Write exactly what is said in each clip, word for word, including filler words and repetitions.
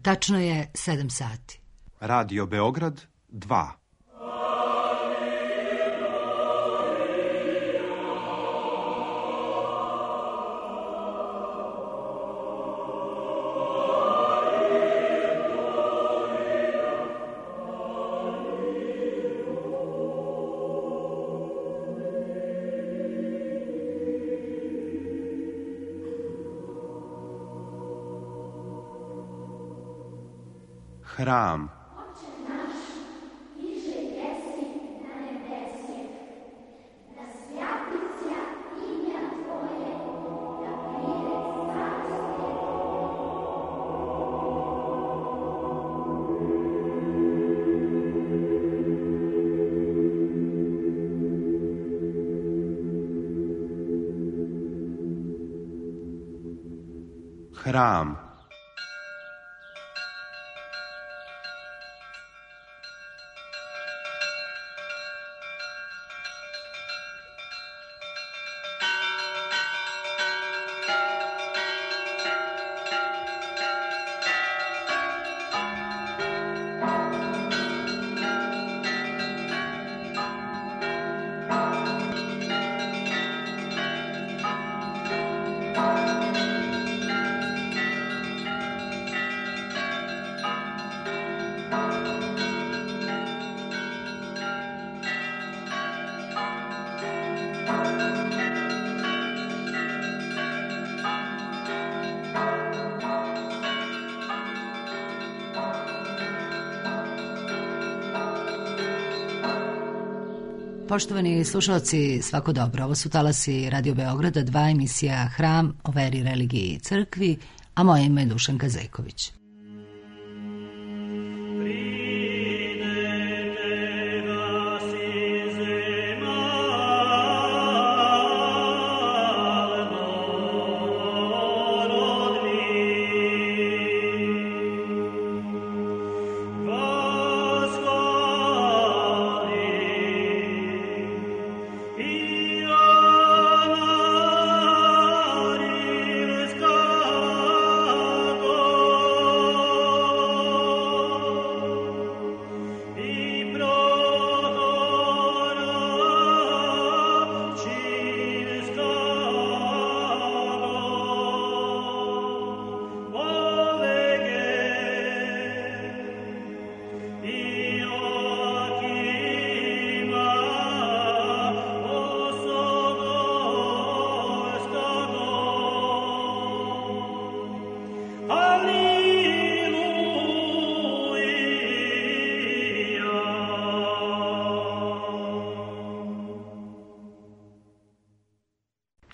Tačno je sedam sati. Radio Beograd dva. Hram. Hram. Poštovani slušalci, svako dobro. Ovo su talasi Radio Beograda, dva, emisija Hram o veri, religiji i crkvi, a moje ime je Dušanka Zeković.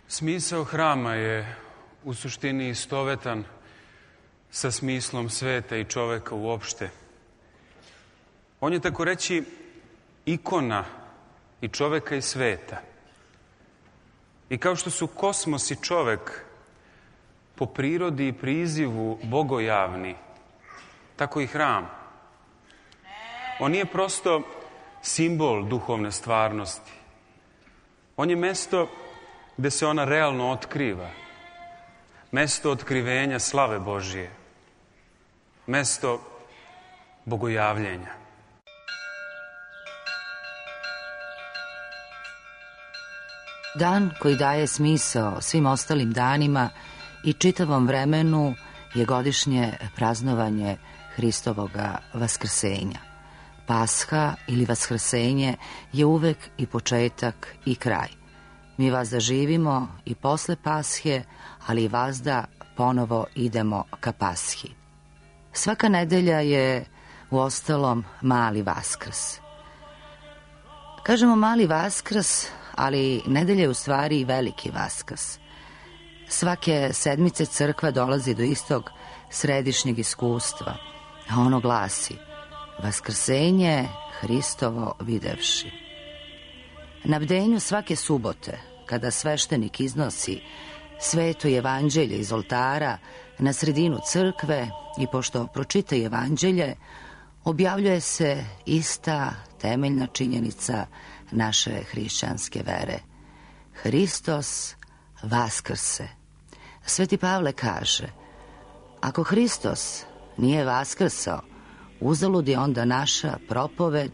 Smisao hrama je u suštini istovetan sa smislom sveta i čoveka uopšte. On je, tako reći, ikona i čoveka i sveta. I kao što su kosmos i čovek po prirodi i prizivu bogojavni, tako i hram. On nije prosto simbol duhovne stvarnosti. On je mesto gde se ona realno otkriva. Mesto otkrivenja slave Božije. Mesto bogojavljenja. Dan koji daje smisao svim ostalim danima i čitavom vremenu je godišnje praznovanje Hristovoga vaskrsenja. Pasha ili vaskrsenje je uvek i početak i kraj. Mi vazda živimo i posle Pashe, ali i vazda ponovo idemo ka Pashi. Svaka nedelja je u ostalom mali Vaskrs. Kažemo mali Vaskrs, ali nedelja je u stvari i veliki Vaskrs. Svake sedmice crkva dolazi do istog središnjeg iskustva, a ono glasi: Vaskrsenje Hristovo videvši. Na bdenju svake subote, kada sveštenik iznosi sveto evanđelje iz oltara na sredinu crkve i pošto pročita evanđelje, objavljuje se ista temeljna činjenica naše hrišćanske vere. Hristos vaskrse. Sveti Pavle kaže: ako Hristos nije vaskrsao, uzalud je onda naša propoved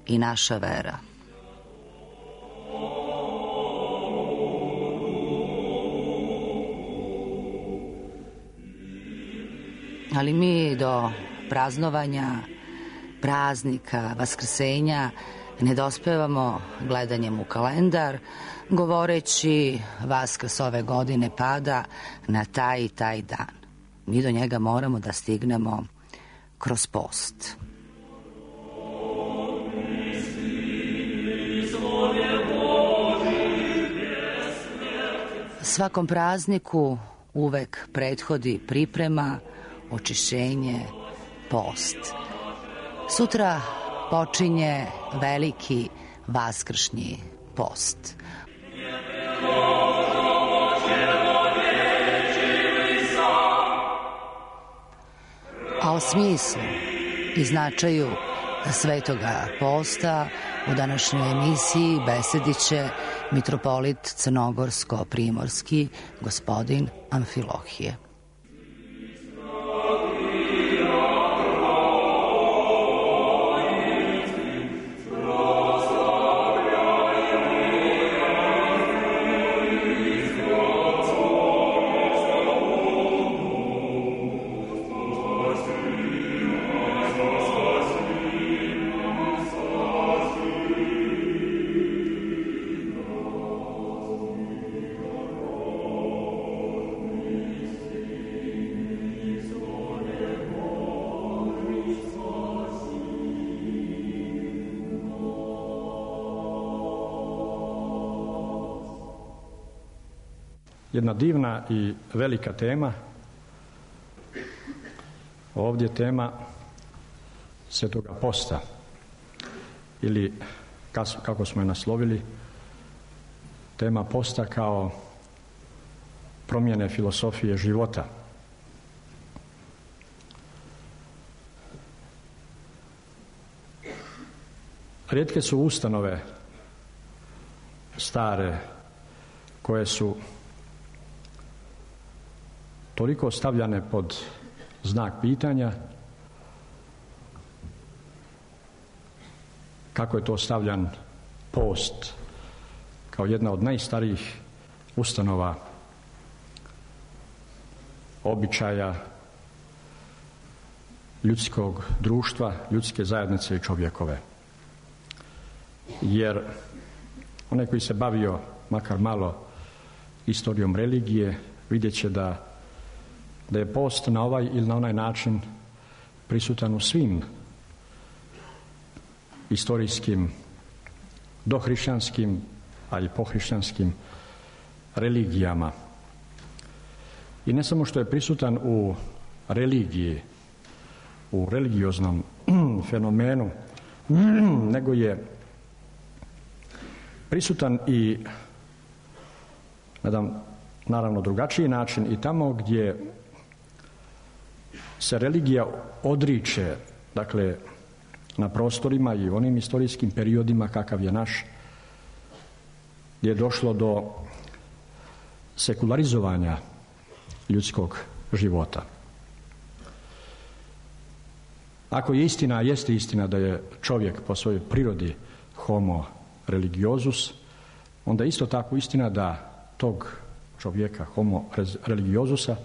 i naša vera. Ali mi do praznovanja, praznika, vaskrsenja ne dospevamo gledanjem u kalendar, govoreći Vaskrs ove godine pada na taj i taj dan. Mi do njega moramo da stignemo kroz post. Svakom prazniku uvek prethodi priprema, očišćenje, post. Sutra počinje veliki vaskršnji post. A o smislu i značaju svetoga posta u današnjoj emisiji besedit će mitropolit crnogorsko-primorski gospodin Amfilohije. Jedna divna i velika tema. Ovdje tema svetoga posta ili kako smo je naslovili, tema posta kao promjene filosofije života. Rijetke su ustanove stare koje su toliko stavljane pod znak pitanja kako je to stavljan post kao jedna od najstarijih ustanova običaja ljudskog društva, ljudske zajednice i čovjekove. Jer onaj koji se bavio makar malo istorijom religije vidjet će da da je post na ovaj ili na onaj način prisutan u svim istorijskim, dohrišćanskim, a i pohrišćanskim religijama. I ne samo što je prisutan u religiji, u religioznom fenomenu, nego je prisutan i na jedan naravno drugačiji način i tamo gdje se religija odriče, dakle, na prostorima i onim istorijskim periodima kakav je naš, gdje je došlo do sekularizovanja ljudskog života. Ako je istina, a jeste istina da je čovjek po svojoj prirodi homo religiosus, onda isto tako istina da tog čovjeka, homo religiosusa,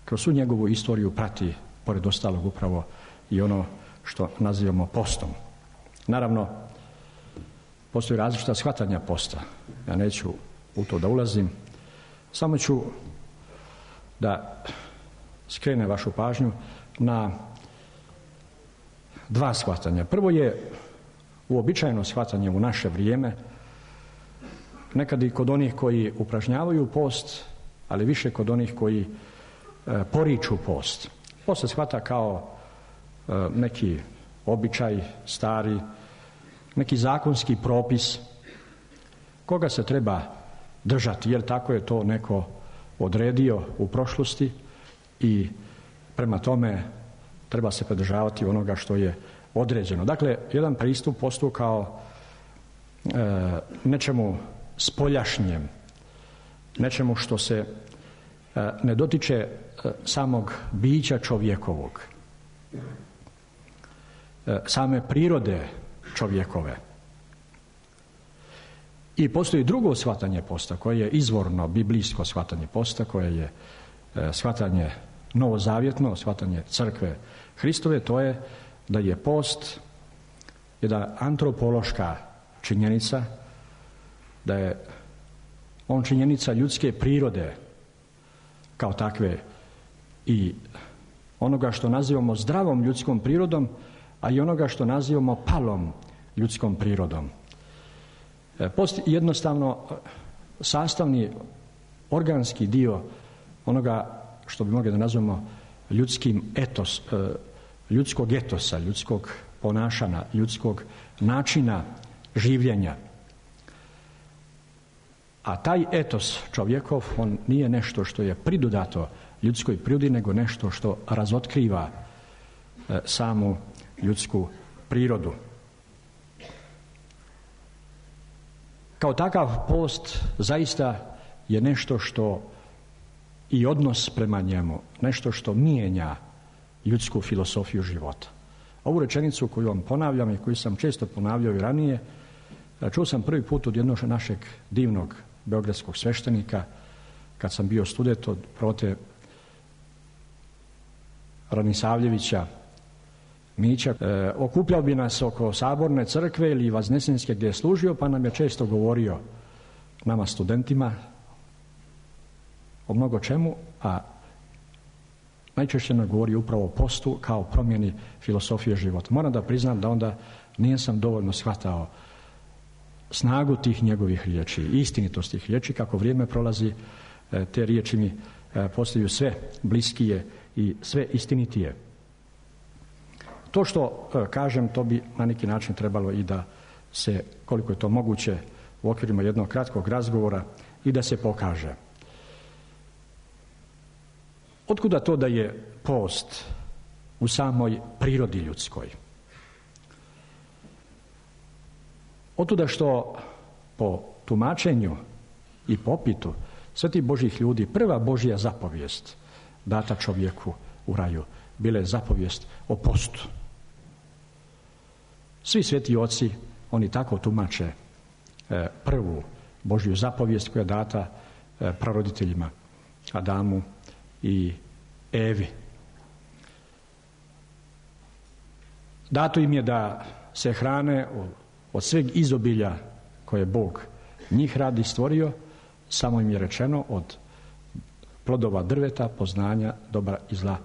kroz svu njegovu istoriju prati, pored ostalog, upravo i ono što nazivamo postom. Naravno, postoji različita shvatanja posta. Ja neću u to da ulazim, samo ću da skrenem vašu pažnju na dva shvatanja. Prvo je uobičajeno shvatanje u naše vrijeme, nekad i kod onih koji upražnjavaju post, ali više kod onih koji e, poriču post. Post se shvata kao e, neki običaj stari, neki zakonski propis koga se treba držati, jer tako je to neko odredio u prošlosti i prema tome treba se pridržavati onoga što je određeno. Dakle, jedan pristup postu kao e, nečemu spoljašnjem, nečemu što se e, ne dotiče e, samog bića čovjekovog, same prirode čovjekove. I postoji drugo shvatanje posta, koje je izvorno biblijsko shvatanje posta, koje je shvatanje novozavjetno, shvatanje crkve Hristove, to je da je post jedna antropološka činjenica, da je on činjenica ljudske prirode kao takve i onoga što nazivamo zdravom ljudskom prirodom, a i onoga što nazivamo palom ljudskom prirodom. Post je jednostavno sastavni organski dio onoga što bi mogli da nazvamo ljudskim etos, ljudskog etosa, ljudskog ponašanja, ljudskog načina življenja. A taj etos čovjekov, on nije nešto što je pridodato ljudskoj prirodi, nego nešto što razotkriva e, samu ljudsku prirodu. Kao takav post zaista je nešto što i odnos prema njemu, nešto što mijenja ljudsku filosofiju života. Ovu rečenicu koju vam ponavljam i koju sam često ponavljao i ranije, čuo sam prvi put od jednog našeg divnog beogradskog sveštenika, kad sam bio student od prote Ranisavljevića Mića. E, okupljao bi nas oko Saborne crkve ili Vaznesenske gdje je služio, pa nam je često govorio, nama studentima, o mnogo čemu, a najčešće nam govori upravo o postu kao promjeni filosofije života. Moram da priznam da onda nisam dovoljno shvatao snagu tih njegovih riječi, istinitost tih riječi. Kako vrijeme prolazi, te riječi mi postaju sve bliskije i sve istinitije. To što kažem, to bi na neki način trebalo i da se, koliko je to moguće, u okvirima jednog kratkog razgovora i da se pokaže. Otkuda to da je post u samoj prirodi ljudskoj? Otuda što po tumačenju i popitu svetih Božjih ljudi prva Božja zapovijest data čovjeku u raju bila je zapovijest o postu. Svi sveti oci, oni tako tumače e, prvu Božju zapovijest koja je data e, praroditeljima Adamu i Evi. Dato im je da se hrane od sveg izobilja koje Bog njih radi stvorio, samo im je rečeno od plodova drveta poznanja dobra i zla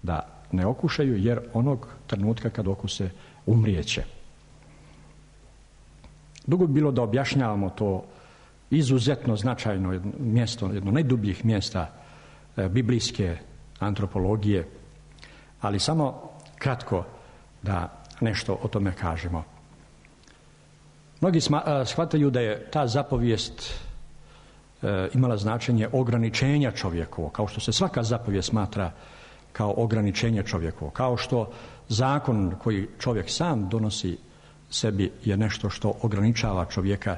da ne okušaju, jer onog trenutka kad okuse umrijeće. Dugo bi bilo da objašnjavamo to izuzetno značajno jedno mjesto, jedno najdubljih mjesta e, biblijske antropologije, ali samo kratko da nešto o tome kažemo. Mnogi shvataju da je ta zapovijest e, imala značenje ograničenja čovjekovo, kao što se svaka zapovijest smatra kao ograničenje čovjekovo, kao što zakon koji čovjek sam donosi sebi je nešto što ograničava čovjeka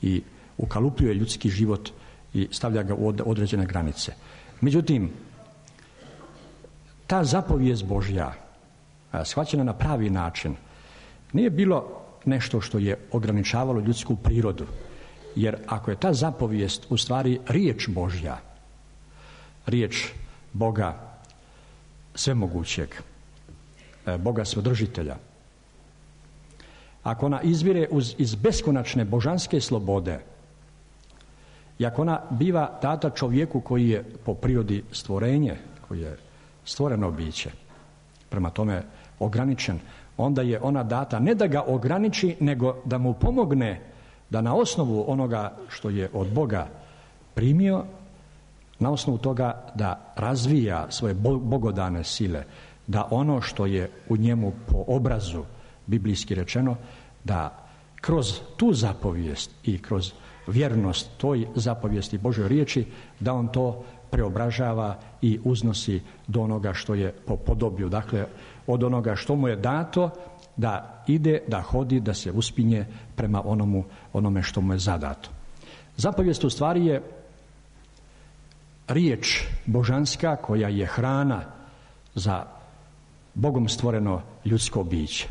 i ukalupljuje ljudski život i stavlja ga u određene granice. Međutim, ta zapovijest Božja, shvaćena na pravi način, nije bilo nešto što je ograničavalo ljudsku prirodu, jer ako je ta zapovijest u stvari riječ Božja, riječ Boga svemogućeg, Boga svodržitelja, ako ona izvire uz, iz beskonačne božanske slobode i ako ona biva data čovjeku koji je po prirodi stvorenje, koji je stvoreno biće, prema tome ograničen, onda je ona data ne da ga ograniči, nego da mu pomogne da na osnovu onoga što je od Boga primio, na osnovu toga da razvija svoje bogodane sile, da ono što je u njemu po obrazu biblijski rečeno, da kroz tu zapovijest i kroz vjernost toj zapovijesti Božoj riječi, da on to preobražava i uznosi do onoga što je po podoblju, dakle od onoga što mu je dato da ide, da hodi, da se uspinje prema onomu, onome što mu je zadato. Zapovijest u stvari je riječ božanska koja je hrana za Bogom stvoreno ljudsko biće.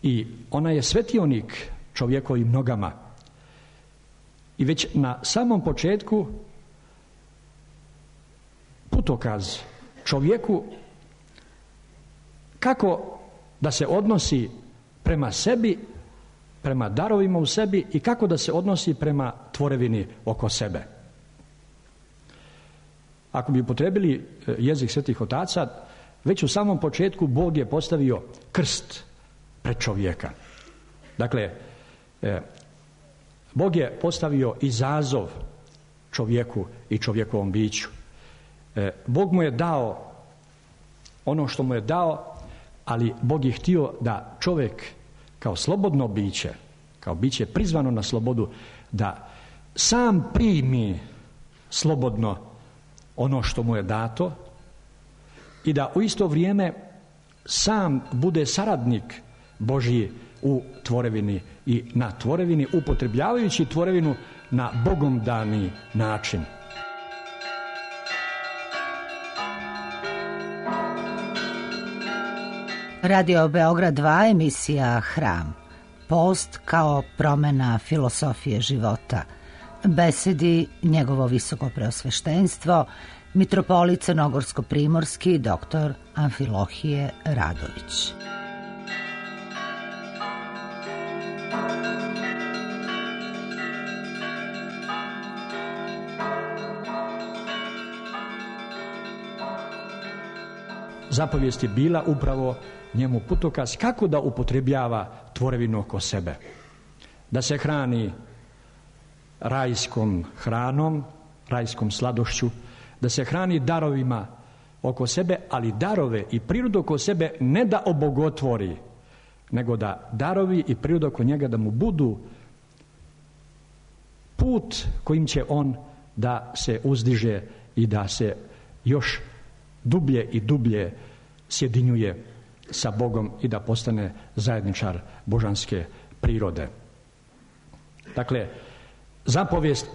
I ona je svetionik čovjekovim nogama. I već na samom početku putokaz čovjeku kako da se odnosi prema sebi, prema darovima u sebi i kako da se odnosi prema tvorevini oko sebe. Ako bi upotrebili jezik svetih otaca, već u samom početku Bog je postavio krst pred čovjeka. Dakle, Bog je postavio izazov čovjeku i čovjekovom biću. Bog mu je dao ono što mu je dao, ali Bog je htio da čovjek kao slobodno biće, kao biće prizvano na slobodu, da sam primi slobodno ono što mu je dato i da u isto vrijeme sam bude saradnik Božji u tvorevini i na tvorevini, upotrebljavajući tvorevinu na Bogom dani način. Radio Beograd dva, emisija Hram. Post kao promjena filosofije života. Besedi njegovo visoko preosveštenstvo, mitropolit crnogorsko-primorski doktor Amfilohije Radović. Zapovijest je bila upravo njemu putokaz kako da upotrebljava tvorevinu oko sebe. Da se hrani rajskom hranom, rajskom sladošću, da se hrani darovima oko sebe, ali darove i prirodu oko sebe ne da obogotvori, nego da darovi i priroda oko njega da mu budu put kojim će on da se uzdiže i da se još dublje i dublje sjedinjuje sa Bogom i da postane zajedničar božanske prirode. Dakle, zapovijest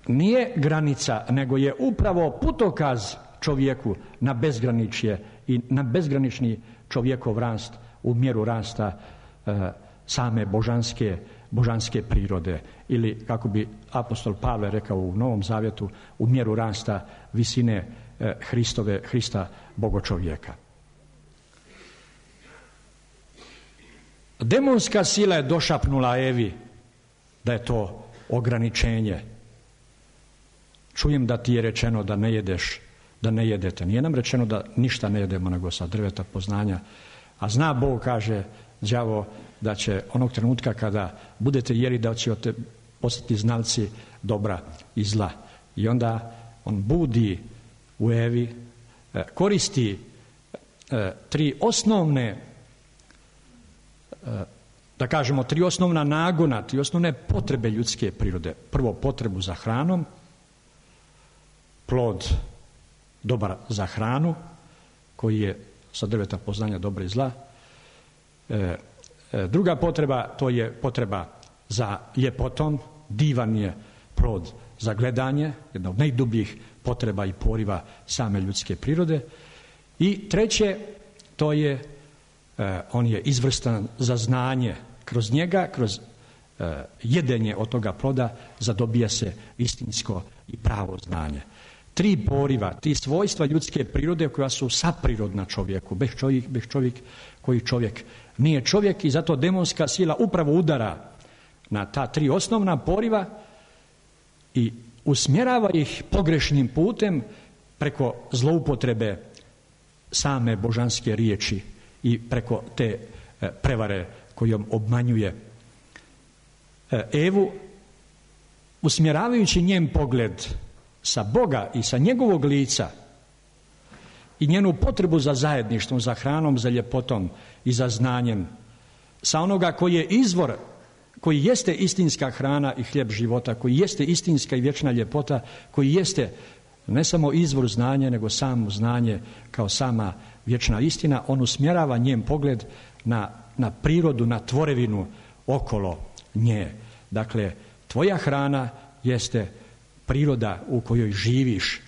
nije granica, nego je upravo putokaz čovjeku na bezgraničje i na bezgranični čovjekov rast u mjeru rasta e, same božanske, božanske prirode. Ili, kako bi apostol Pavle rekao u Novom Zavjetu, u mjeru rasta visine e, Hristove, Hrista bogočovjeka. Demonska sila je došapnula Evi da je to ograničenje. Čujem da ti je rečeno da ne jedeš, da ne jedete. Nije nam rečeno da ništa ne jedemo nego sa drveta poznanja. A zna Bog, kaže đavo, da će onog trenutka kada budete jeli da ćete postati znalci dobra i zla. I onda on budi u Evi, koristi tri osnovne, da kažemo, tri osnovna nagona, tri osnovne potrebe ljudske prirode. Prvo, potrebu za hranom, plod dobar za hranu, koji je sa drveta poznanja dobra i zla. E, e, druga potreba, to je potreba za ljepotom, divan je plod za gledanje, jedna od najdubljih potreba i poriva same ljudske prirode. I treće, to je, e, on je izvrstan za znanje. Kroz njega, kroz e, jedenje od toga ploda, zadobija se istinsko i pravo znanje. Tri poriva, tri svojstva ljudske prirode koja su saprirodna čovjeku, bez čovjek, bez čovjek koji čovjek nije čovjek, i zato demonska sila upravo udara na ta tri osnovna poriva i usmjerava ih pogrešnim putem preko zloupotrebe same božanske riječi i preko te prevare kojom obmanjuje Evu, usmjeravajući njen pogled sa Boga i sa njegovog lica i njenu potrebu za zajedništvom, za hranom, za ljepotom i za znanjem, sa onoga koji je izvor, koji jeste istinska hrana i hljeb života, koji jeste istinska i vječna ljepota, koji jeste ne samo izvor znanja, nego samo znanje kao sama vječna istina. On usmjerava njen pogled na, na prirodu, na tvorevinu okolo nje. Dakle, tvoja hrana jeste priroda u kojoj živiš.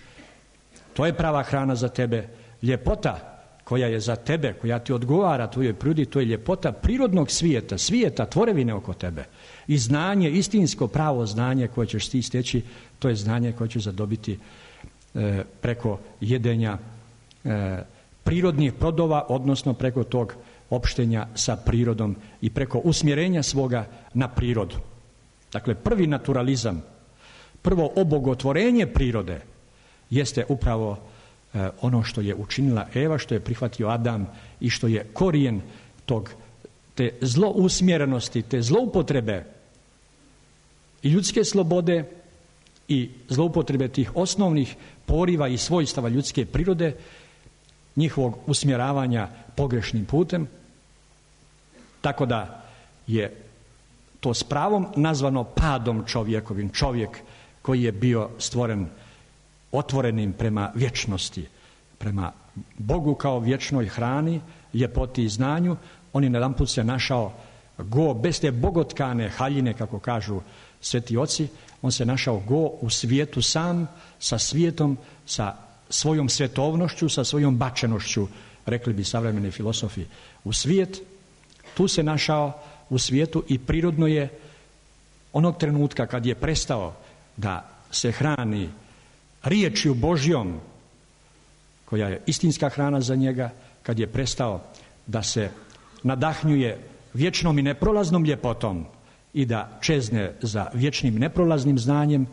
To je prava hrana za tebe. Ljepota koja je za tebe, koja ti odgovara tvojoj prirodi, to je ljepota prirodnog svijeta, svijeta tvorevine oko tebe. I znanje, istinsko pravo znanje koje ćeš ti steći, to je znanje koje ćeš zadobiti e, preko jedenja e, prirodnih plodova, odnosno preko tog opštenja sa prirodom i preko usmjerenja svoga na prirodu. Dakle, prvi naturalizam, prvo obogotvorenje prirode jeste upravo e, ono što je učinila Eva, što je prihvatio Adam i što je korijen tog, te zlousmjerenosti, te zloupotrebe i ljudske slobode i zloupotrebe tih osnovnih poriva i svojstava ljudske prirode, njihovog usmjeravanja pogrešnim putem, tako da je to s pravom nazvano padom čovjekovim, čovjek koji je bio stvoren otvorenim prema vječnosti, prema Bogu kao vječnoj hrani, ljepoti i znanju. On je najedanput se našao go, bez te bogotkane haljine, kako kažu sveti oci, on se našao go u svijetu sam, sa svijetom, sa svojom svjetovnošću, sa svojom bačenošću, rekli bi savremeni filosofi, u svijet. Tu se našao u svijetu i prirodno je onog trenutka kad je prestao da se hrani riječju Božjom, koja je istinska hrana za njega, kad je prestao da se nadahnjuje vječnom i neprolaznom ljepotom i da čezne za vječnim neprolaznim znanjem,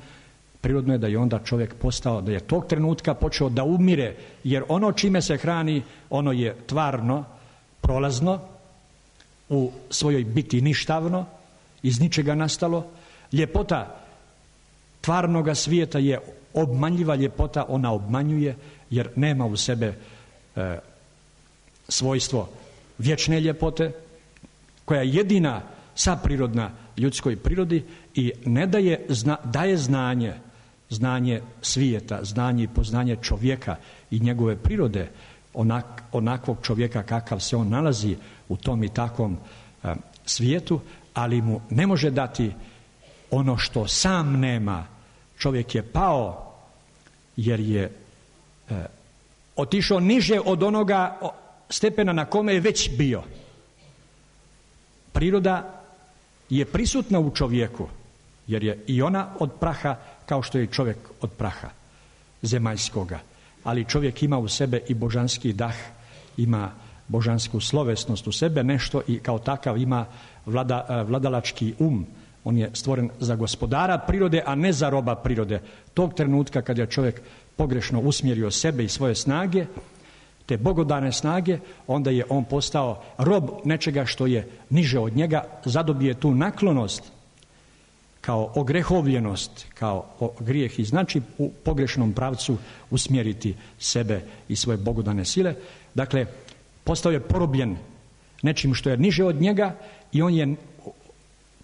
prirodno je da je onda čovjek postao, da je tog trenutka počeo da umire, jer ono čime se hrani, ono je tvarno, prolazno, u svojoj biti ništavno, iz ničega nastalo. Ljepota tvarnoga svijeta je obmanljiva ljepota, ona obmanjuje jer nema u sebe e, svojstvo vječne ljepote, koja je jedina saprirodna ljudskoj prirodi i ne daje, zna, daje znanje, znanje svijeta, znanje i poznanje čovjeka i njegove prirode, onak, onakvog čovjeka kakav se on nalazi u tom i takvom e, svijetu, ali mu ne može dati ono što sam nema. Čovjek je pao jer je e, otišao niže od onoga stepena na kome je već bio. Priroda je prisutna u čovjeku, jer je i ona od praha kao što je čovjek od praha zemaljskoga. Ali čovjek ima u sebe i božanski dah, ima božansku slovesnost u sebe, nešto i kao takav ima vlada, vladalački um. On je stvoren za gospodara prirode, a ne za roba prirode. Tog trenutka kad je čovjek pogrešno usmjerio sebe i svoje snage, te bogodane snage, onda je on postao rob nečega što je niže od njega, zadobije tu naklonost kao ogrehovljenost, kao grijeh i znači u pogrešnom pravcu usmjeriti sebe i svoje bogodane sile. Dakle, postao je porobljen nečim što je niže od njega i on je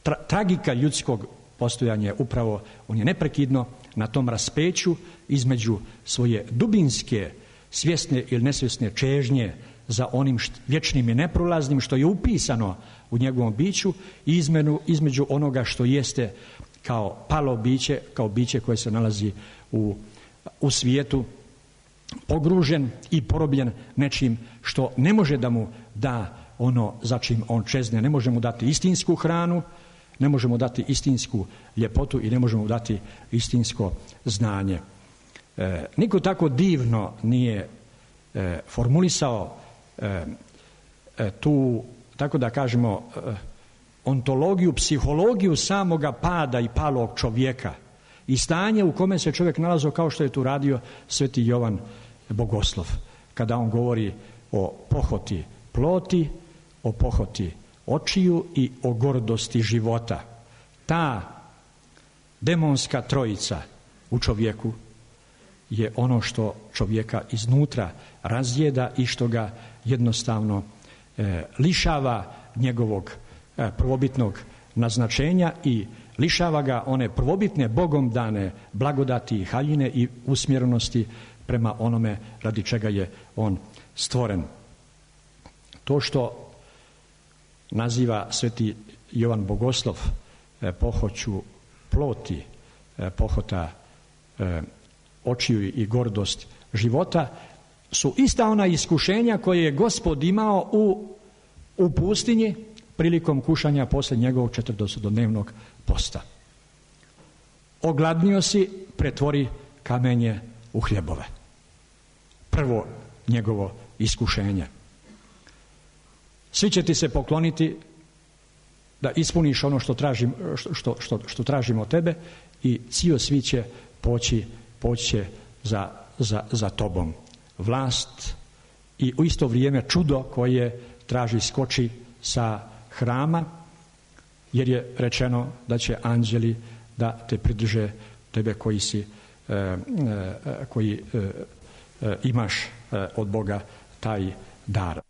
tra, tragika ljudskog postojanja upravo, on je neprekidno na tom raspeću između svoje dubinske, svjesne ili nesvjesne čežnje za onim št, vječnim i neprolaznim što je upisano u njegovom biću i izmenu, između onoga što jeste kao palo biće, kao biće koje se nalazi u, u svijetu, pogružen i porobljen nečim što ne može da mu da ono za čim on čezne, ne može mu dati istinsku hranu, ne može mu dati istinsku ljepotu i ne može mu dati istinsko znanje. E, niko tako divno nije e, formulisao e, e, tu, tako da kažemo, e, ontologiju, psihologiju samoga pada i palog čovjeka i stanje u kome se čovjek nalazio kao što je tu radio sveti Jovan Bogoslov, kada on govori o pohoti ploti, o pohoti očiju i o gordosti života. Ta demonska trojica u čovjeku je ono što čovjeka iznutra razjeda i što ga jednostavno e, lišava njegovog e, prvobitnog naznačenja i lišava ga one prvobitne Bogom dane blagodati i haljine i usmjerenosti prema onome radi čega je on stvoren. To što naziva sveti Jovan Bogoslov e, pohoću ploti, e, pohota e, očiju i gordost života su ista ona iskušenja koje je Gospod imao u, u pustinji prilikom kušanja poslije njegovog četrdesetodnevnog posta. Ogladnio si, pretvori kamenje u hljebove. Prvo njegovo iskušenje. Svi će ti se pokloniti da ispuniš ono što tražim, što, što, što tražimo od tebe i cijel svi će poći, poći će za, za, za tobom. Vlast i u isto vrijeme čudo koje traži skoči sa hrama, jer je rečeno da će anđeli da te pridrže, tebe koji si e, e, koji e, e, imaš e, od Boga taj dar.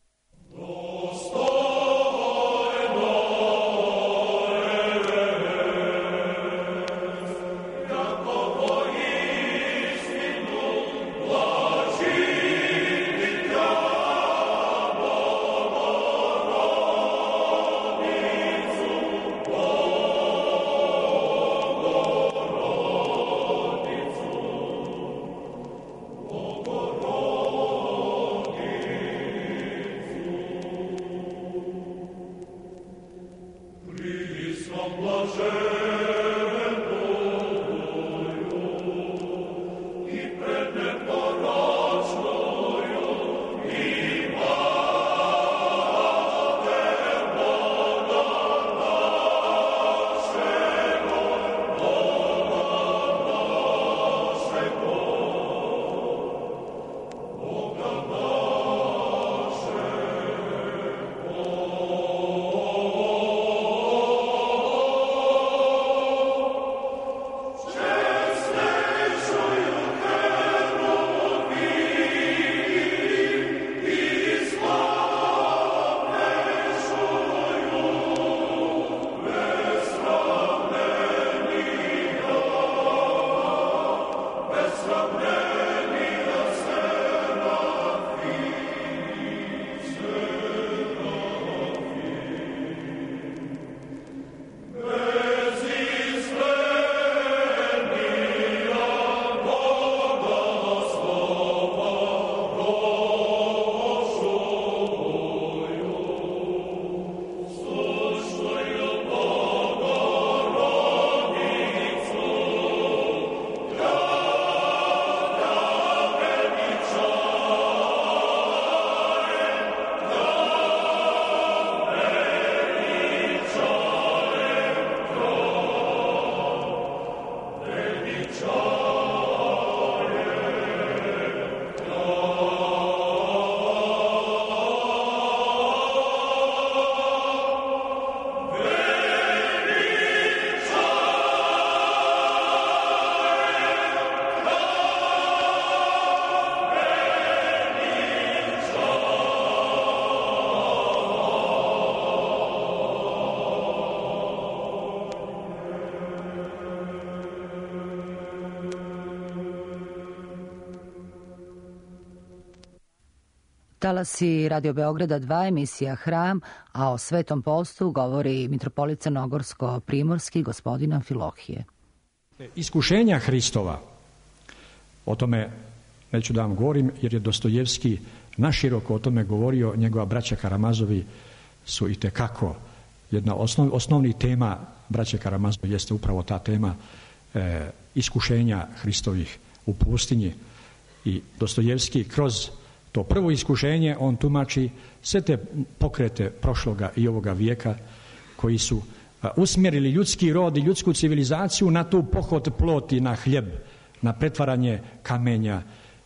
Talasi Radio Beograda dva, emisija Hram, a o Svetom postu govori mitropolit Crnogorsko-primorski gospodin Amfilohije. Iskušenja Hristova, o tome neću da vam govorim, jer je Dostojevski naširoko o tome govorio, njegova braća Karamazovi su itekako jedna osnov, osnovnih tema braće Karamazovi jeste upravo ta tema e, iskušenja Hristovih u pustinji. I Dostojevski kroz to prvo iskušenje on tumači sve te pokrete prošloga i ovoga vijeka koji su a, usmjerili ljudski rod i ljudsku civilizaciju na tu pohod ploti, na hljeb, na pretvaranje kamenja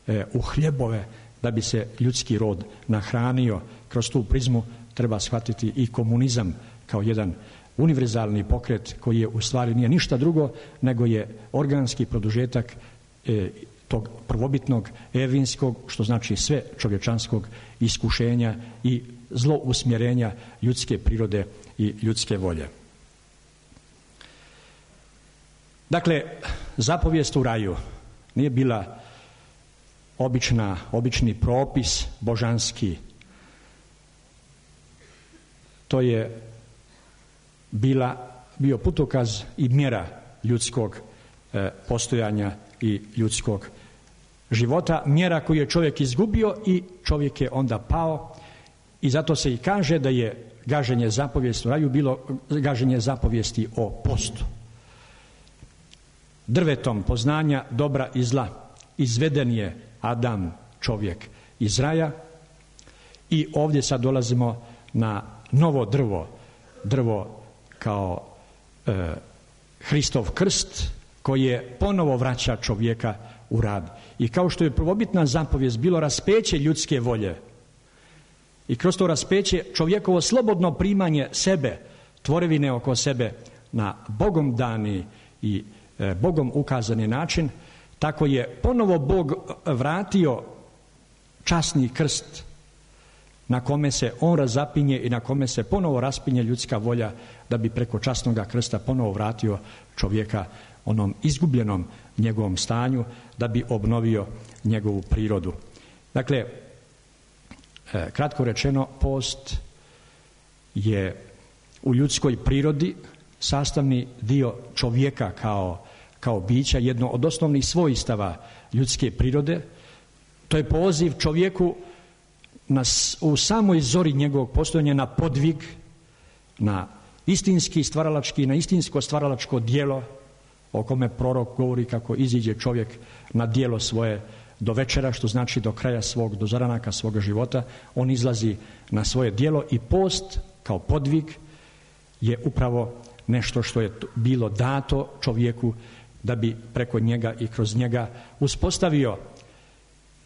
e, u hljebove, da bi se ljudski rod nahranio. Kroz tu prizmu treba shvatiti i komunizam kao jedan univerzalni pokret koji je u stvari nije ništa drugo nego je organski produžetak e, tog prvobitnog evinskog, što znači sve čovječanskog iskušenja i zlousmjerenja ljudske prirode i ljudske volje. Dakle, zapovijest u raju nije bila obična, obični propis božanski. To je bila, bio putokaz i mjera ljudskog e, postojanja i ljudskog života, mjera koju je čovjek izgubio i čovjek je onda pao. I zato se i kaže da je gaženje zapovijesti u raju bilo gaženje zapovijesti o postu. Drvetom poznanja dobra i zla izveden je Adam, čovjek, iz raja i ovdje sad dolazimo na novo drvo, drvo kao e, Hristov krst koje ponovo vraća čovjeka u rad. I kao što je prvobitna zapovijest bilo raspeće ljudske volje i kroz to raspeće čovjekovo slobodno primanje sebe, tvorevine oko sebe na Bogom dani i e, Bogom ukazani način, tako je ponovo Bog vratio časni krst na kome se on razapinje i na kome se ponovo raspinje ljudska volja da bi preko časnoga krsta ponovo vratio čovjeka onom izgubljenom njegovom stanju, da bi obnovio njegovu prirodu. Dakle, kratko rečeno, post je u ljudskoj prirodi sastavni dio čovjeka kao, kao bića, jedno od osnovnih svojstava ljudske prirode. To je poziv čovjeku na, u samoj zori njegovog postojanja na podvig, na istinski stvaralački, na istinsko stvaralačko djelo o kome prorok govori kako iziđe čovjek na djelo svoje do večera, što znači do kraja svog, do zaranaka svoga života, on izlazi na svoje djelo i post kao podvig je upravo nešto što je bilo dato čovjeku da bi preko njega i kroz njega uspostavio,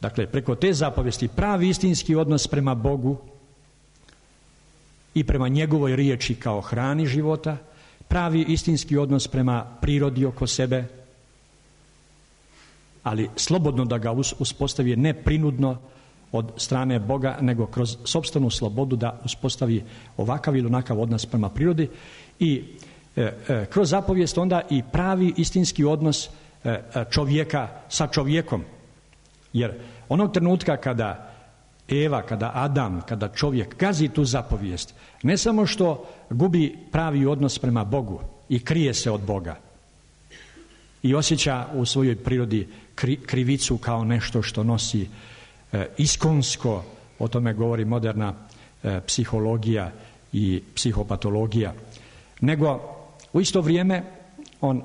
dakle preko te zapovesti, pravi istinski odnos prema Bogu i prema njegovoj riječi kao hrani života, pravi istinski odnos prema prirodi oko sebe, ali slobodno da ga uspostavi, ne prinudno od strane Boga, nego kroz sopstvenu slobodu da uspostavi ovakav ili onakav odnos prema prirodi i e, e, kroz zapovijest onda i pravi istinski odnos e, čovjeka sa čovjekom. Jer onog trenutka kada Eva, kada Adam, kada čovjek gazi tu zapovijest, ne samo što gubi pravi odnos prema Bogu i krije se od Boga i osjeća u svojoj prirodi kri, krivicu kao nešto što nosi e, iskonsko, o tome govori moderna e, psihologija i psihopatologija, nego u isto vrijeme on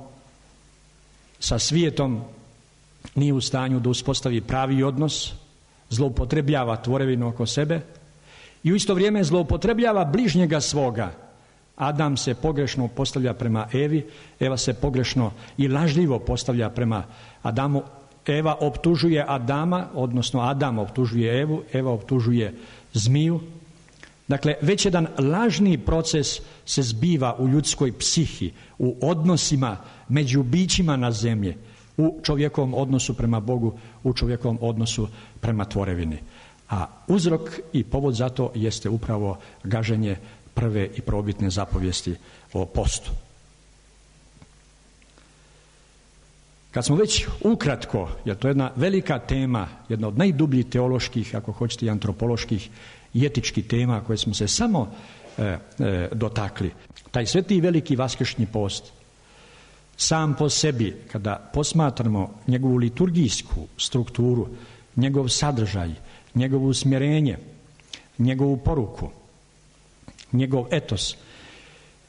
sa svijetom nije u stanju da uspostavi pravi odnos, zloupotrebljava tvorevinu oko sebe i u isto vrijeme zloupotrebljava bližnjega svoga. Adam se pogrešno postavlja prema Evi, Eva se pogrešno i lažljivo postavlja prema Adamu. Eva optužuje Adama, odnosno Adam optužuje Evu, Eva optužuje zmiju. Dakle, već jedan lažni proces se zbiva u ljudskoj psihi, u odnosima među bićima na zemlji, u čovjekovom odnosu prema Bogu, u čovjekovom odnosu prema tvorevini. A uzrok i povod za to jeste upravo gaženje prve i prvobitne zapovijesti o postu. Kad smo već ukratko, jer to je jedna velika tema, jedna od najdubljih teoloških, ako hoćete i antropoloških i etičkih tema koje smo se samo e, e, dotakli, taj sveti i veliki vaskršnji post sam po sebi, kada posmatramo njegovu liturgijsku strukturu, njegov sadržaj, njegovo usmjerenje, njegovu poruku, njegov etos,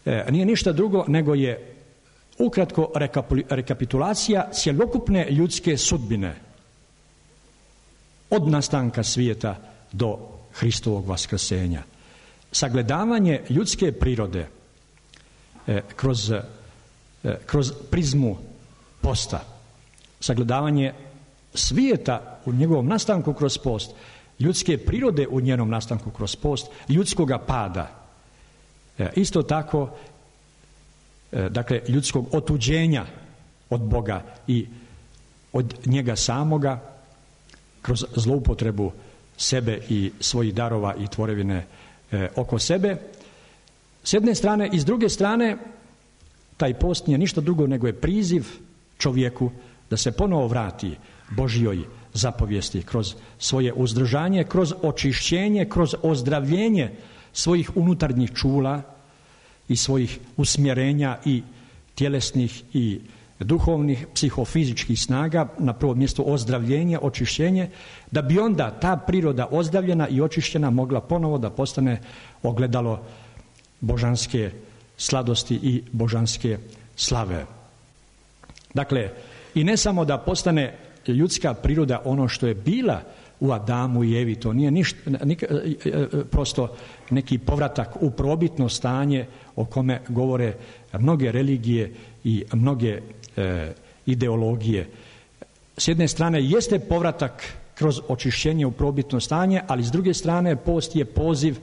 e, nije ništa drugo nego je ukratko rekapitulacija cjelokupne ljudske sudbine od nastanka svijeta do Hristovog vaskrsenja. Sagledavanje ljudske prirode e, kroz, e, kroz prizmu posta, sagledavanje svijeta u njegovom nastanku kroz post, ljudske prirode u njenom nastanku kroz post, ljudskoga pada. E, isto tako, e, dakle, ljudskog otuđenja od Boga i od njega samoga kroz zloupotrebu sebe i svojih darova i tvorevine e, oko sebe. S jedne strane i s druge strane, taj post nije ništa drugo nego je priziv čovjeku da se ponovo vrati Božjoj zapovijesti kroz svoje uzdržanje, kroz očišćenje, kroz ozdravljenje svojih unutarnjih čula i svojih usmjerenja i tjelesnih i duhovnih, psihofizičkih snaga, na prvom mjestu ozdravljenje, očišćenje, da bi onda ta priroda ozdravljena i očišćena mogla ponovo da postane ogledalo božanske sladosti i božanske slave. Dakle, i ne samo da postane ljudska priroda ono što je bila u Adamu i Evi, to nije ništa, nik, prosto neki povratak u probitno stanje o kome govore mnoge religije i mnoge e, ideologije. S jedne strane jeste povratak kroz očišćenje u probitno stanje, ali s druge strane post je poziv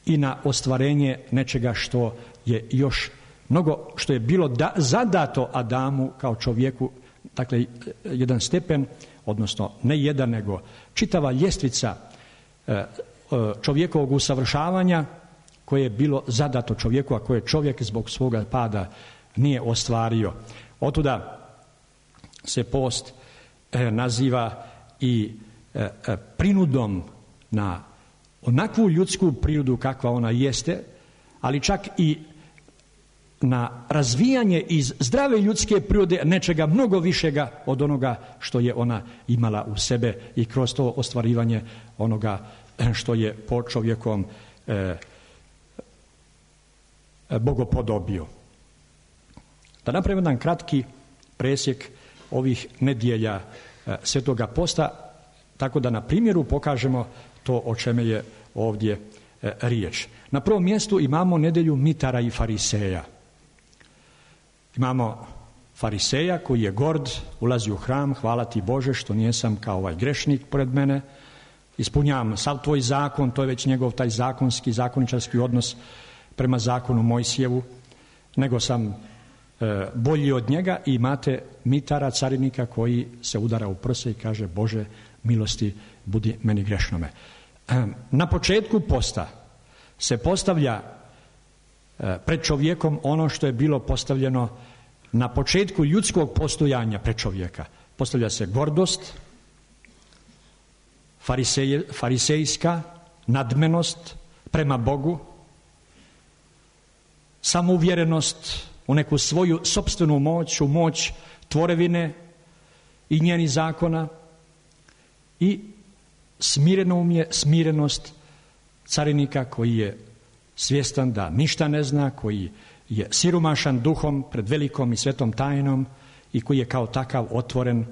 i na ostvarenje nečega što je još mnogo, što je bilo da, zadato Adamu kao čovjeku, dakle jedan stepen, odnosno ne jedan, nego čitava ljestvica e, čovjekovog usavršavanja koje je bilo zadato čovjeku, a koje čovjek zbog svoga pada nije ostvario. Otuda se post e, naziva i e, e, prinudom na onakvu ljudsku prirodu kakva ona jeste, ali čak i na razvijanje iz zdrave ljudske prirode nečega mnogo višega od onoga što je ona imala u sebe i kroz to ostvarivanje onoga što je po čovjekom e, bogopodobio. Da napravimo jedan kratki presjek ovih nedjelja e, Svetoga posta, tako da na primjeru pokažemo to o čemu je ovdje e, riječ. Na prvom mjestu imamo nedjelju mitara i fariseja. Imamo fariseja koji je gord, ulazi u hram, hvala ti Bože što nijesam kao ovaj grešnik pored mene, ispunjavam sav tvoj zakon, to je već njegov taj zakonski, zakoničarski odnos prema zakonu Mojsijevu, nego sam e, bolji od njega. I imate mitara, carinika koji se udara u prse i kaže Bože milosti budi meni grešnome. E, na početku posta se postavlja e, pred čovjekom ono što je bilo postavljeno na početku ljudskog postojanja pred čovjeka. Postavlja se gordost, farisej, farisejska nadmenost prema Bogu, samouvjerenost u neku svoju sopstvenu moć, u moć tvorevine i njenih zakona, i smirenomje, smirenost carinika koji je svjestan da ništa ne zna, koji je siromašan duhom pred velikom i svetom tajnom i koji je kao takav otvoren.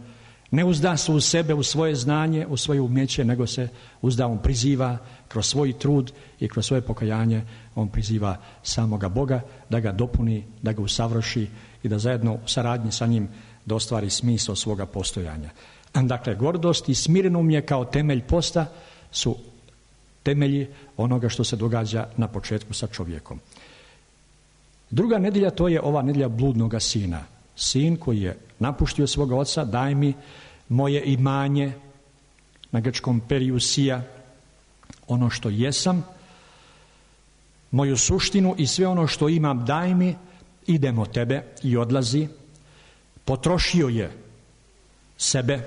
Ne uzda se u sebe, u svoje znanje, u svoje umjeće, nego se uzda, on priziva kroz svoj trud i kroz svoje pokajanje, on priziva samoga Boga da ga dopuni, da ga usavrši i da zajedno u saradnji sa njim da ostvari smisao svoga postojanja. Dakle, gordost i smirenomje kao temelj posta su temelji onoga što se događa na početku sa čovjekom. Druga nedjelja, to je ova nedjelja bludnoga sina. Sin koji je napuštio svoga oca, daj mi moje imanje, na grčkom periusija, ono što jesam, moju suštinu i sve ono što imam daj mi, idem od tebe, i odlazi. Potrošio je sebe,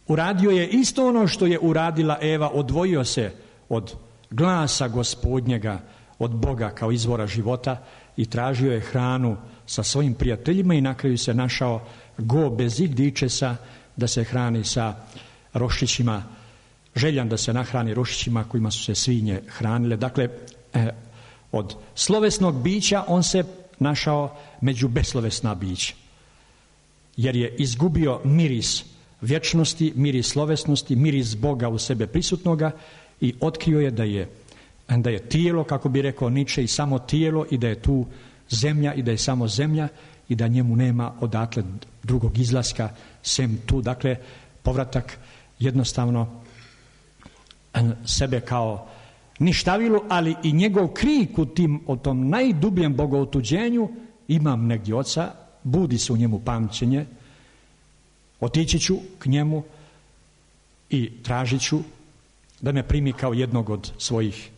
uradio je isto ono što je uradila Eva, odvojio se od glasa Gospodnjega, od Boga kao izvora života, i tražio je hranu sa svojim prijateljima i na kraju se našao go bez igdičesa da se hrani sa roščićima, željan da se nahrani roščićima kojima su se svinje hranile. Dakle, eh, od slovesnog bića on se našao među beslovesna bića, jer je izgubio miris vječnosti, miris slovesnosti, miris Boga u sebe prisutnoga, i otkrio je da je da je tijelo, kako bi rekao Niče, i samo tijelo, i da je tu zemlja i da je samo zemlja i da njemu nema odatle drugog izlaska sem tu. Dakle, povratak jednostavno sebe kao ništavilo, ali i njegov krik u tim, o tom najdubljem bogoutuđenju, imam negdje oca, budi se u njemu pamćenje, otići ću k njemu i tražit ću da me primi kao jednog od svojih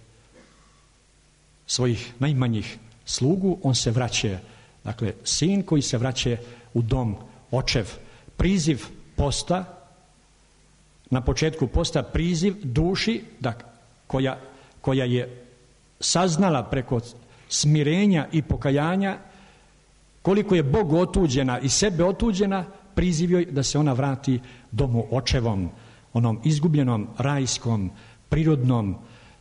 svojih najmanjih slugu. On se vraća, dakle sin koji se vraća u dom očev. Priziv posta, na početku posta priziv duši da, koja, koja je saznala preko smirenja i pokajanja koliko je Bog otuđena i sebe otuđena, priziv joj da se ona vrati domu očevom, onom izgubljenom, rajskom, prirodnom,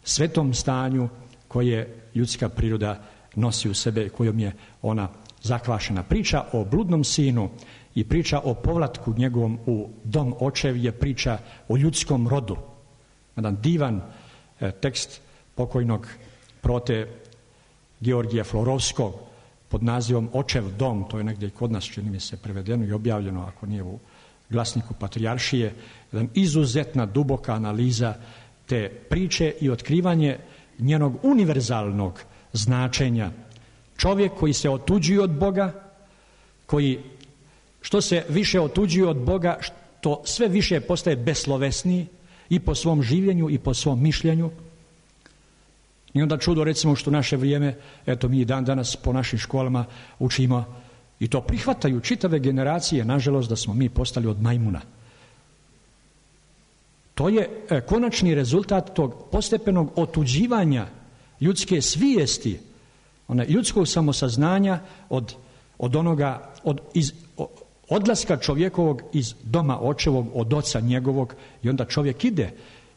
svetom stanju koje ljudska priroda nosi u sebe, kojom je ona zakvašena. Priča o bludnom sinu i priča o povratku njegovom u dom očev je priča o ljudskom rodu. Jedan divan e, tekst pokojnog prote Georgija Florovskog pod nazivom Očev dom, to je negdje kod nas, čini mi se, prevedeno i objavljeno, ako nije u glasniku Patrijaršije, jedan izuzetna, duboka analiza te priče i otkrivanje njenog univerzalnog značenja. Čovjek koji se otuđuje od Boga, koji što se više otuđuje od Boga, što sve više postaje beslovesniji i po svom življenju i po svom mišljenju. I onda čudo, recimo, što naše vrijeme, eto mi dan danas po našim školama učimo i to prihvataju čitave generacije, nažalost, da smo mi postali od majmuna. To je e, konačni rezultat tog postepenog otuđivanja ljudske svijesti, one, ljudskog samosaznanja od, od onoga, od, iz, odlaska čovjekovog iz doma očevog, od oca njegovog, i onda čovjek ide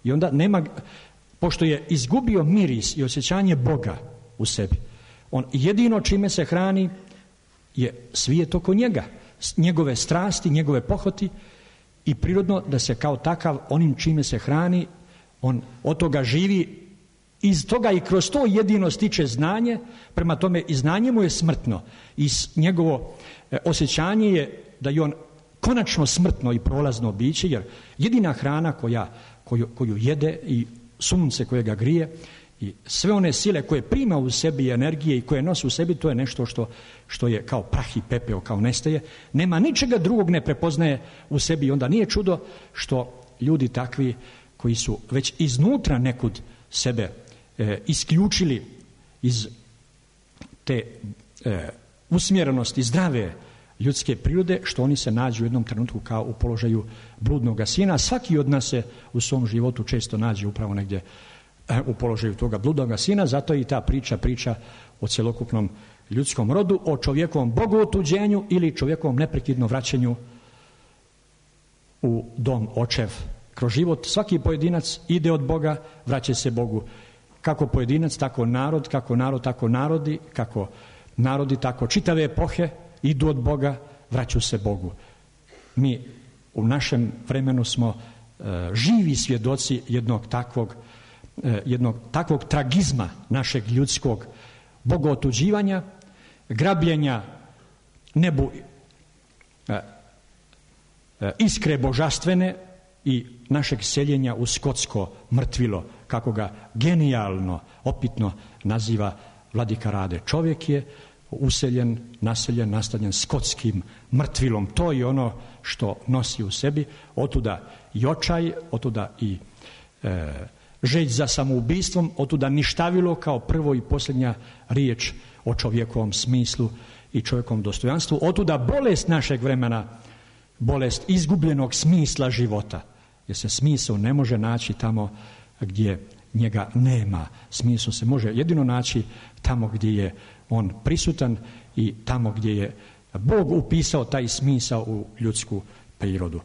i onda nema, pošto je izgubio miris i osjećanje Boga u sebi, on jedino čime se hrani je svijet oko njega, njegove strasti, njegove pohoti, i prirodno da se kao takav onim čime se hrani, on od toga živi, iz toga i kroz to jedino stiče znanje, prema tome i znanje mu je smrtno i njegovo osjećanje je da je on konačno smrtno i prolazno biće, jer jedina hrana koja, koju, koju jede i sunce koje ga grije i sve one sile koje prima u sebi i energije i koje nosi u sebi, to je nešto što, što je kao prah i pepeo, kao nestaje. Nema ničega drugog, ne prepoznaje u sebi i onda nije čudo što ljudi takvi koji su već iznutra nekud sebe e, isključili iz te e, usmjerenosti zdrave ljudske prirode, što oni se nađu u jednom trenutku kao u položaju bludnoga sina. Svaki od nas se u svom životu često nađe upravo negdje u položaju toga bludnoga sina, zato i ta priča priča o cjelokupnom ljudskom rodu, o čovjekovom bogootuđenju ili čovjekovom neprekidnom vraćanju u dom očev. Kroz život svaki pojedinac ide od Boga, vraća se Bogu. Kako pojedinac, tako narod, kako narod, tako narodi, kako narodi, tako čitave epohe idu od Boga, vraćaju se Bogu. Mi u našem vremenu smo e, živi svjedoci jednog takvog jednog takvog tragizma našeg ljudskog bogootuđivanja, grabljenja nebu iskre božanstvene i našeg seljenja u skotsko mrtvilo, kako ga genijalno, opitno naziva vladika Rade. Čovjek je useljen, naseljen, nastanjen skotskim mrtvilom. To je ono što nosi u sebi, otuda i očaj, otuda i e, žeć za samoubistvom, otuda ništavilo kao prvo i posljednja riječ o čovjekovom smislu i čovjekovom dostojanstvu, otuda bolest našeg vremena, bolest izgubljenog smisla života, jer se smisao ne može naći tamo gdje njega nema. Smisao se može jedino naći tamo gdje je on prisutan i tamo gdje je Bog upisao taj smisao u ljudsku prirodu.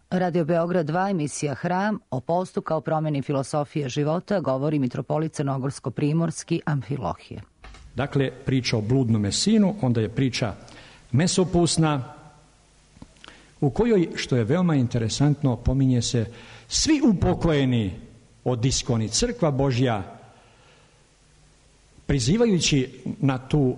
Radio Beograd dva, emisija Hram, o postu kao promjeni filosofije života, govori mitropolit crnogorsko-primorski Amfilohije. Dakle, priča o bludnome sinu, onda je priča mesopusna, u kojoj, što je veoma interesantno, pominje se svi upokojeni od iskoni, crkva Božja, prizivajući na tu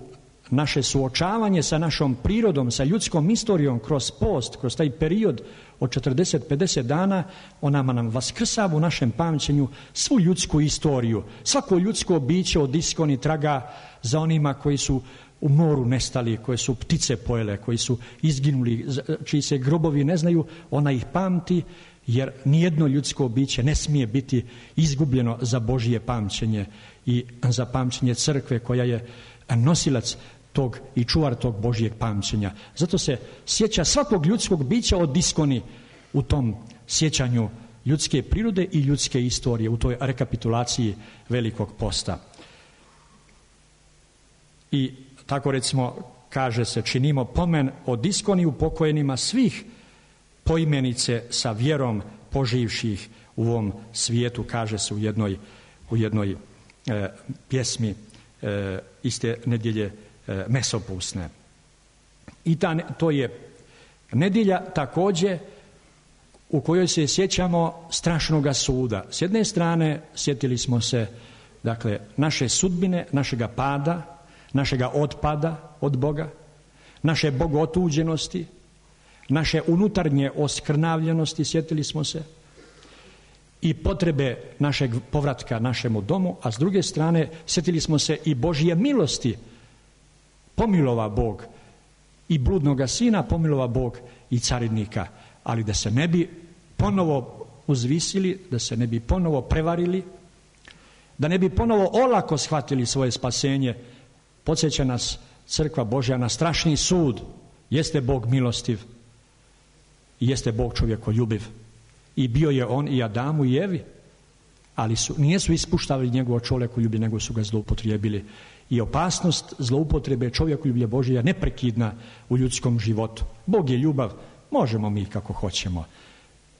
naše suočavanje sa našom prirodom, sa ljudskom istorijom kroz post, kroz taj period od četrdeset do pedeset dana, ona nam vaskrsava u našem pamćenju svu ljudsku istoriju. Svako ljudsko biće od iskoni traga za onima koji su u moru nestali, koje su ptice pojele, koji su izginuli, čiji se grobovi ne znaju, ona ih pamti, jer nijedno ljudsko biće ne smije biti izgubljeno za Božje pamćenje i za pamćenje crkve koja je nosilac tog i čuvar tog Božjeg pamćenja. Zato se sjeća svakog ljudskog bića od iskoni u tom sjećanju ljudske prirode i ljudske istorije, u toj rekapitulaciji Velikog posta. I tako recimo kaže se, činimo pomen od iskoni upokojenima svih poimenice sa vjerom poživših u ovom svijetu, kaže se u jednoj, u jednoj e, pjesmi e, iste nedjelje e, mesopusne. I ta, to je nedjelja također u kojoj se sjećamo strašnoga suda. S jedne strane sjetili smo se, dakle, naše sudbine, našega pada, našega otpada od Boga, naše bogotuđenosti, naše unutarnje oskrnavljenosti, sjetili smo se, i potrebe našeg povratka našemu domu, a s druge strane sjetili smo se i Božje milosti. Pomilova Bog i bludnoga sina, pomilova Bog i carinika, ali da se ne bi ponovo uzvisili, da se ne bi ponovo prevarili, da ne bi ponovo olako shvatili svoje spasenje, podsjeća nas crkva Božja na strašni sud. Jeste Bog milostiv i jeste Bog čovjekoljubiv. I bio je on i Adamu i Evi, ali su, nijesu ispuštavali njegovo čovjekoljublje, nego su ga zloupotrijebili. I opasnost zloupotrebe čovjekoljublja Božja je neprekidna u ljudskom životu. Bog je ljubav, možemo mi kako hoćemo.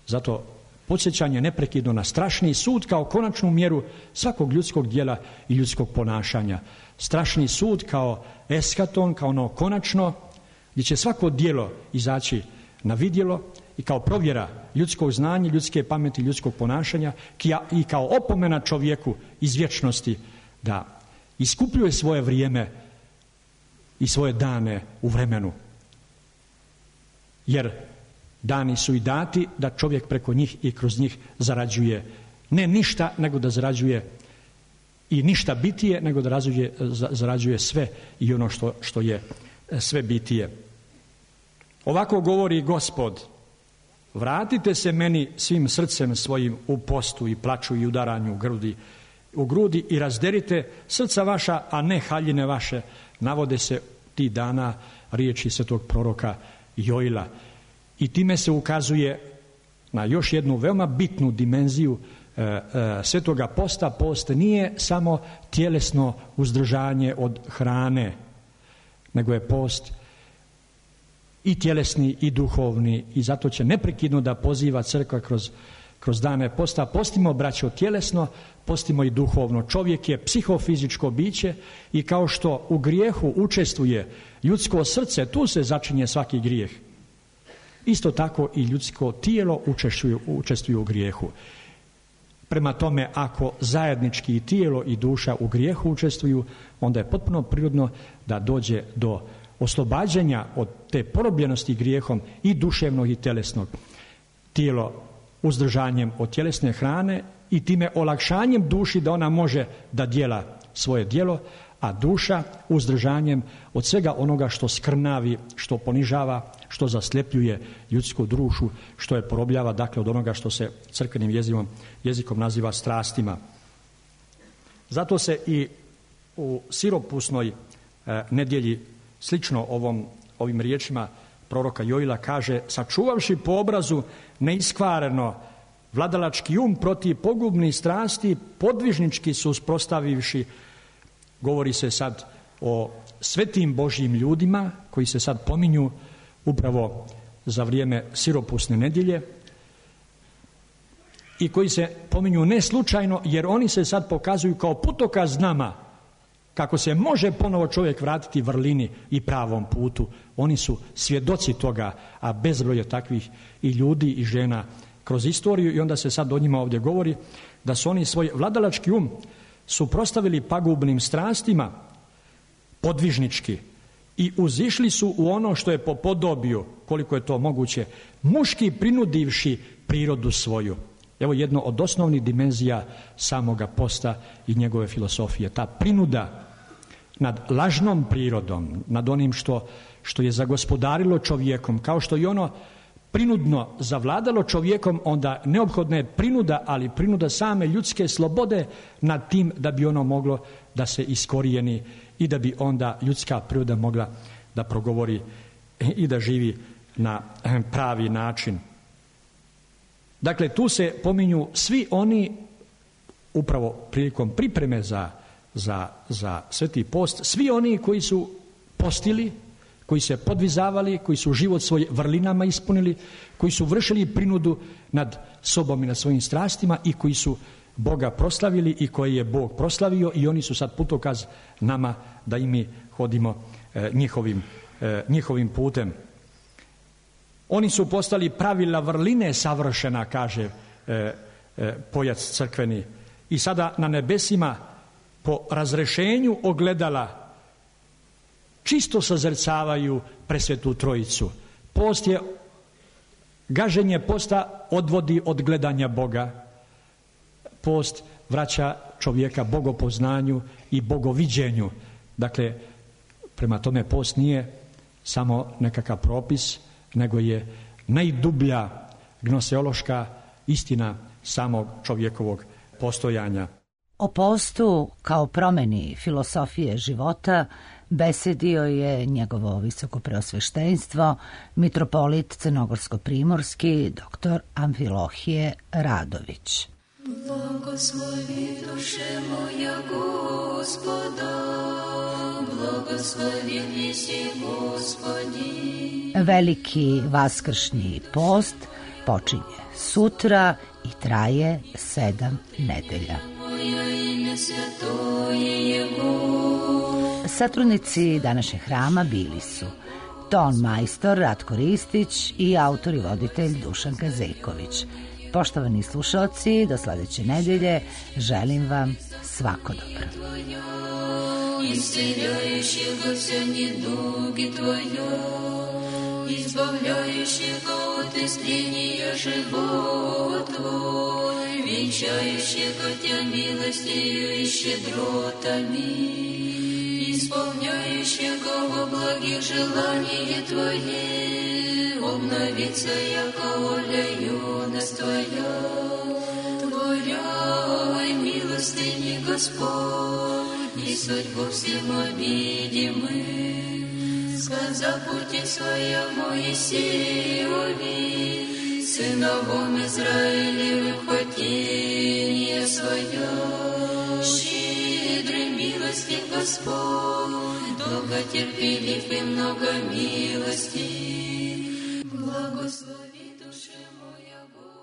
Zato podsjećanje neprekidno na strašni sud kao konačnu mjeru svakog ljudskog djela i ljudskog ponašanja. Strašni sud kao eskaton, kao ono konačno, gdje će svako djelo izaći na vidjelo i kao provjera ljudskog znanja, ljudske pameti, ljudskog ponašanja i kao opomena čovjeku iz vječnosti da iskupljuje svoje vrijeme i svoje dane u vremenu. Jer dani su i dati da čovjek preko njih i kroz njih zarađuje ne ništa, nego da zarađuje i ništa bitije, nego da zarađuje, zarađuje sve i ono što, što je sve bitije. Ovako govori Gospod: vratite se meni svim srcem svojim u postu i plaču i udaranju u grudi, u grudi i razderite srca vaša, a ne haljine vaše. Navode se ti dana riječi svetog proroka Joila. I time se ukazuje na još jednu veoma bitnu dimenziju e, e, svetoga posta. Post nije samo tjelesno uzdržanje od hrane, nego je post i tjelesni i duhovni, i zato će neprekidno da poziva crkva kroz, kroz dane posta: postimo, braćo, tjelesno, postimo i duhovno. Čovjek je psihofizičko biće i kao što u grijehu učestvuje ljudsko srce, tu se začinje svaki grijeh. Isto tako i ljudsko tijelo učestvuje, učestvuje u grijehu. Prema tome, ako zajednički i tijelo i duša u grijehu učestvuju, onda je potpuno prirodno da dođe do oslobađanja od te porobljenosti grijehom i duševnog i tjelesnog. Tijelo uzdržanjem od tjelesne hrane i time olakšanjem duši da ona može da djela svoje djelo, a duša uzdržanjem od svega onoga što skrnavi, što ponižava, što zasljepljuje ljudsku dušu, što je porobljava, dakle, od onoga što se crkvenim jezikom, jezikom naziva strastima. Zato se i u siropusnoj e, nedjelji, slično ovom, ovim riječima proroka Joila, kaže: sačuvavši po obrazu neiskvareno vladalački um protiv pogubnih strasti, podvižnički su uspostavivši. Govori se sad o svetim Božjim ljudima koji se sad pominju upravo za vrijeme siropusne nedjelje i koji se pominju ne slučajno, jer oni se sad pokazuju kao putokaz nama, kako se može ponovo čovjek vratiti vrlini i pravom putu. Oni su svjedoci toga, a bezbroj je takvih i ljudi i žena kroz istoriju, i onda se sad o njima ovdje govori da su oni svoj vladalački um suprotstavili pagubnim strastima podvižnički i uzišli su u ono što je po podobiju, koliko je to moguće, muški prinudivši prirodu svoju. Evo jedno od osnovnih dimenzija samoga posta i njegove filosofije, ta prinuda nad lažnom prirodom, nad onim što, što je zagospodarilo čovjekom, kao što i ono prinudno zavladalo čovjekom, onda neophodna je prinuda, ali prinuda same ljudske slobode nad tim da bi ono moglo da se iskorijeni i da bi onda ljudska priroda mogla da progovori i da živi na pravi način. Dakle, tu se pominju svi oni, upravo prilikom pripreme za, za, za Sveti post, svi oni koji su postili, koji se podvizavali, koji su život svoj vrlinama ispunili, koji su vršili prinudu nad sobom i nad svojim strastima i koji su Boga proslavili i koje je Bog proslavio, i oni su sad putokaz nama da i mi hodimo e, njihovim, e, njihovim putem. Oni su postali pravila vrline savršena, kaže e, e, pojac crkveni, i sada na nebesima po razrešenju ogledala čisto sazrcavaju presvetu trojicu. Post je, gaženje posta odvodi od gledanja Boga. Post vraća čovjeka bogopoznanju i bogoviđenju. Dakle, prema tome post nije samo nekakav propis, nego je najdublja gnoseološka istina samog čovjekovog postojanja. O postu kao promjeni filosofije života besedio je njegovo visokopreosveštenstvo, mitropolit crnogorsko-primorski, doktor Amfilohije Radović. Blagoslovi duše moja Gospoda, blagosloveni si Gospodi. Veliki vaskršnji post počinje sutra i traje sedam nedelja. Satrudnici današnjeg hrama bili su ton majstor Ratko Ristić i autor i voditelj Dušan Kazejković. Poštovani slušalci, do sljedeće nedelje želim vam svako dobro. Исцеляющего все недуги Твое, избавляющего от истления живот Твой, венчающего Тебя милостью и щедротами, исполняющего во благих желания Твои, обновиться яко воля юность Твоя, Творя и милостыни Господь, и судьбу всем обидимы, сказав пути своя Моисееве, сыновом Израилевым хотение свое. Щедрый милости Господь, долготерпелив и много милости, благослови душе моя Господь.